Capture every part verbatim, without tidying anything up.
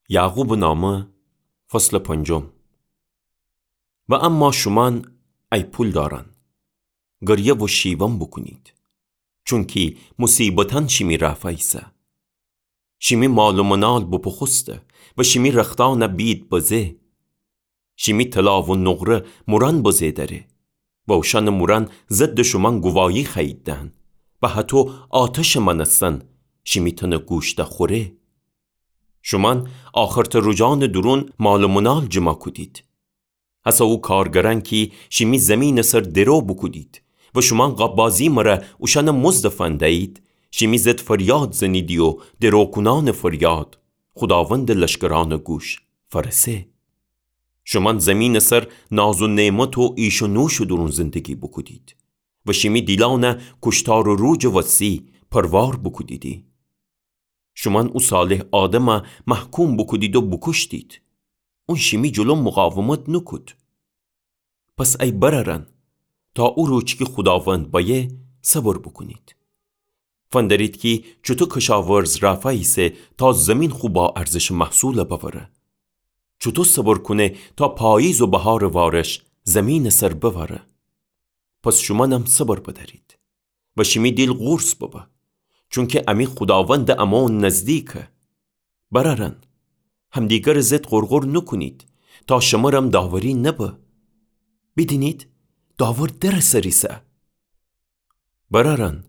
یعقوبٚ نامه، فصلٚ پنجم. و اما شومأن، ای پولدارأن، گریه و شیون بوکونید، چونکی موصیبتأن شیمی رأ فأیسه. شیمی مال و منال بوپوخوسته و شیمی رختأنَ بید بزه. شیمی طلا و نقره مورأن بزه دأره و اوشأنٚ مورأن ضدٚ شومأن گواهی خوأیید دهن و هطو آتشٚ مأنستن شیمی تنٚ گوش دخوره. شومأن آخرتٚ روجأنٚ دورون مال و منال جمع کودید. هسه او کارگرأن کی شیمی زیمینٚ سر درو بوکودید و شومأن قاب‌بازی مره اوشأنٚ مزدَ فندیید، شیمی ضد فریاد زنیدی و دروکونأنٚ فریاد خوداوندٚ لشکرأنٚ گوش فأرسه. شومأن زیمینٚ سر ناز و نعمت و ایش و نوشٚ دورون زندگی بوکودید و شیمی دیلأنَ کوشتارٚ روجٚ وسی پروار بوکودیدی. شومأن او صالح آدمَ محکوم بوکودید و بوکوشتید. اون شیمی جلو مقاومت نوکود. پس ای برأرأن، تا او روج کی خوداوند بأیه، صبر بوکونید. فندرید کی چوطو کشاورز رأ فأیسه تا زیمین خو باارزشٚ محصولَ بأوره، چوطو صبر کونه تا پاییز و بهارٚ وارش زیمینٚ سر بأوره. پس شومأنم صبر بدأرید و شیمی دیل قورص ببه، چونکی امی خوداوندٚ امون نزدیکه. برأرأن، همدیگرٚ ضد غرغر نوکونید، تا شمرم داوری نبه. بیدینید، داور درٚ سر ایسه. برأرأن،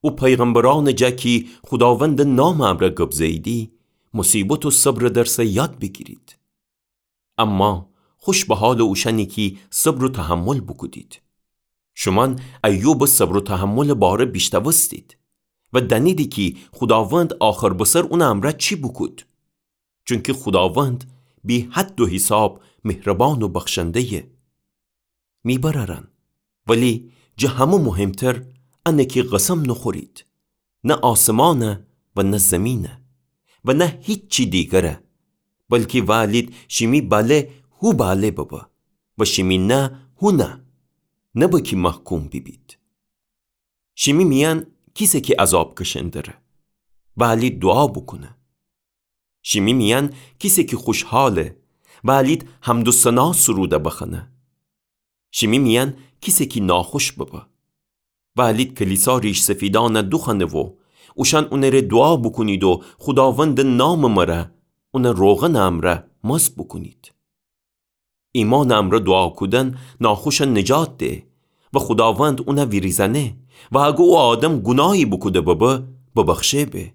او پیغمبرأنٚ جا کی خوداوندٚ نامٚ امرأ گب زهییدی، موصیبت و صبرٚ درسَ یاد بیگیرید. اما خوش به حالٚ اوشأنی کی صبر و تحمل بوکودید. شومأن ایوبٚ صبر و تحملٚ باره بیشنوستید و دأنیدی کی خوداوند آخر بسر اونٚ امرأ چی بوکود. چونکی خوداوند بی‌حد و حساب مهربان و بخشنده‌یه. می برأرأن، ولی جٚه همه مهمتر انه کی قسم نوخورید، نه آسمانَ و نه زیمینَ و نه هیچی دیگرَ، بلکی وألید شیمی بله هو بله ببه و شیمی نه هو نه، نبه کی محکوم بیبید. شیمی میأن کیسه کی عذاب کشندره، وألید دوعا بوکونه. شیمی میأن کیسه کی خوشحاله، وألید حمد و ثنا سرودَ بخوأنه. شیمی میأن کیسه کی ناخوش ببه، وألید کلیسا ریش‌سفیدأنَ دوخوأنه و اوشأن اونٚره دوعا بوکونید و خوداوندٚ نامٚ مره اونَ روغنٚ امرأ مسح بوکونید. ایمانٚ امرأ دوعا کودن ناخوشَ نجات ده و خوداوند اونَ ویریزأنه و اگه او آدم گوناهی بوکوده ببه، ببخشه به.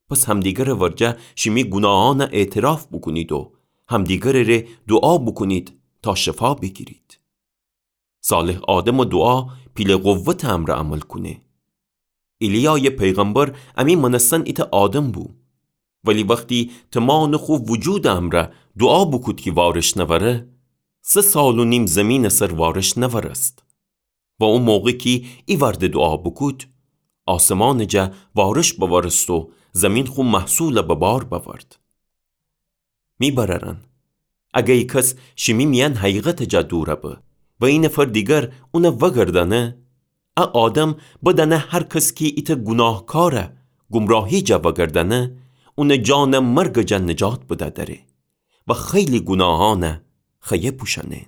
پس همدیگرٚ ورجه شیمی گوناهأنَ اعتراف بوکونید و همدیگرٚ ره دوعا بوکونید تا شفا بیگیرید. صالح آدمٚ دوعا پیلٚ قوتٚ امرأ عمل کونه. ایلیایٚ پیغمبر امی مأنستن ایتأ آدم بو، ولی وختی تومانٚ خو وجودٚ امرأ دوعا بوکود کی وارش نأوره، سه سال و نیم زیمینٚ سر وارش نأورست. و او موقع کی ایوأرده دوعا بوکود، آسمانٚ جا وارش بأورست و زیمین خو محصولَ به بار بأورد. می برأرأن، اگه ای کس شیمی میأن حقیقتٚ جا دورَ به و ای نفر دیگر اونَ وأگردأنه، ا آدم بدأنه هر کس کی ایتأ گوناهکارَ گمراهی جا وأگردأنه، اونٚ جانَ مرگٚ جا نجات بدأ دأره و خیلی گوناهأنَ خوأیه پوشأنه.